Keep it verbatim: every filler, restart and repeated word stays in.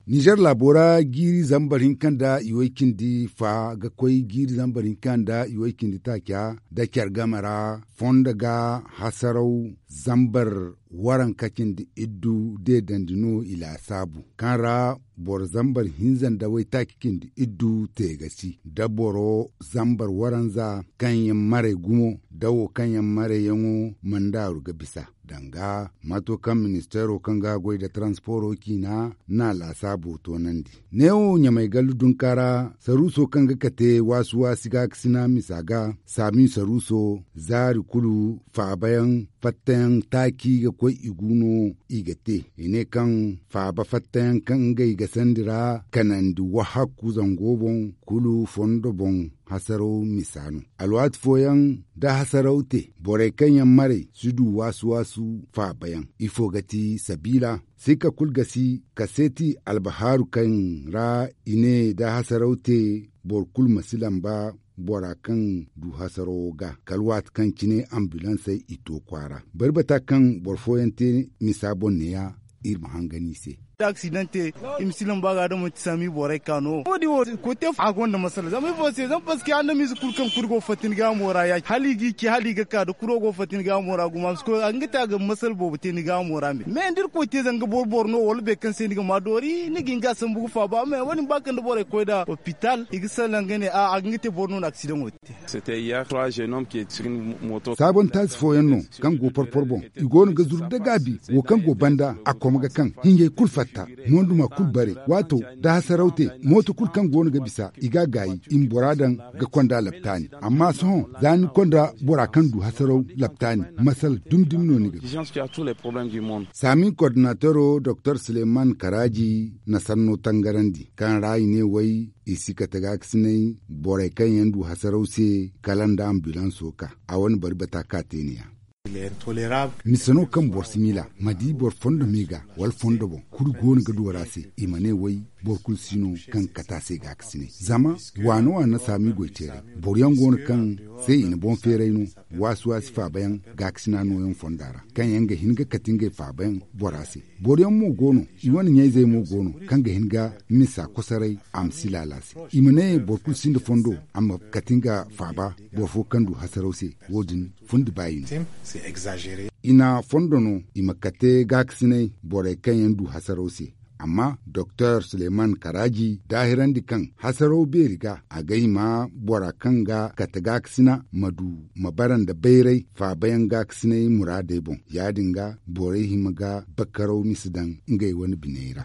Ninzeer laabo ra jiiri zambar hinka nda i way cindi fa ga koy jiiri zambar hinka nda i way cindi taaca nda care game ra fondo ga hasaraw zambar waranka cindi iddu deedandi no i laasaabu kaŋ ra boro zambar hinza nda waytaaci cindi iddu te ga si da boro zambar waranza kaŋ yaŋ maray gumo da wo kaŋ yaŋ marayyaŋo mandaaru ga bisa danga maato kaŋ ministeero kaŋ ga goy nda taransiporo ciina na laasaabo toonandi. Neewo ɲamay gallu dunka ra saruuso kaŋ ga kate waasi-waasi gaakasina misa ga saami saruuso zaari kulu faabayaŋ fattayaŋ taaci ga koy i gu no i ga te i ne kaŋ faaba fattayaŋ kaŋ ngey ga sandi ra kanandi wahakku zango boŋ kulu fondo boŋ hasaraw misa no. Alwaati fooyaŋ da hasaraw te borey kaŋ yaŋ maray si du waasu-waasu faabayaŋ ifo ga ti sabiila sika kulu ga si kaseeti albahaaru kaŋ ra i ne da hasaraw te boro kulu ma si lamba bora kaŋ du hasarawo ga kala waati kaŋ cine ambulansey i to kwaara bari bata kaŋ boro fooyaŋ te misa boŋ neeya iri ma hangan i se. Da aksidante i ma si lamba ga da manti saami borey ka no wo- din wo kote a gonda masala zama ifo se zama paske andamize kulu kaŋ kulu go fatta ni gaamo ra ya hala i g'i ce hala i ga ka da kuro go fatta ni gaamo ra gumo a ma si koy a ga nga te a ga masala boobo te ni gaamo ra me me da iri koy te zanga boro boro no wala boro kaŋ se ni ga ma doori ni ga hin ga a sambu ga faaba me wo- din ba kaŋ da borey koy nd'a opital i ga salaŋ ga ne a a ga nga te boro no na aksidaŋo te. Saabon taasi fooyaŋ no kaŋ go porpor boŋ i go no ga zuru da gaabi wo kaŋ go banda a koma ga kaŋ hiɲjay kulu fatta mooduma kulu bare waato da hasaraw te mooto kulu kaŋ go no ga bisa i ga a gaayi i ma bora daŋ ga konda laptaani amma sohõ za ni konda bora kaŋ du hasaraw laptaani masala dumi-dumi no ni ga. Saami kordinateero doktor suleman karaaji na sanno tangarandi kaŋ ra i ne way i si kate gaakasinay borey kaŋ yaŋ du hasaraw se kala nda ambulanso ka a wane bari bata ka te ne ya. Mise no kaŋ boro si miila ma di boro fondo me ga wala fondo boŋ kulu go no ga du wara se i ma ne way boro kulu si no kaŋ ga kate a se gaakasinay zama waana waana saami goy teeray boro yaŋ go no kaŋ se i na boŋ feeray no waasi waasi faaba yaŋ gaakasina nooyaŋ fonda ra kaŋ yaŋ ga hin ga kate ngey faaba yaŋ bora se. Boro yaŋ mo go no i wane ɲayzey mo go no kaŋ ga hin ga misa kosoray a ma si laala se i ma ne boro kulu sinda fondo a ma kate nga faaba boro fo kaŋ du hasaraw se. Wo- din fundi baayi no. I na fondo no i ma kate gaakasinay borey kaŋ yaŋ du hasaraw se amma doktor suleman karaaji daahirandi kaŋ hasaraw beeri ga a ga hima bora kaŋ ga kate gaakasina ma du ma bara nda bayray faabayaŋ gaakasinay muraadey boŋ ya- din ga borey hima ga bakaraw misa daŋ ngey wane biney ra.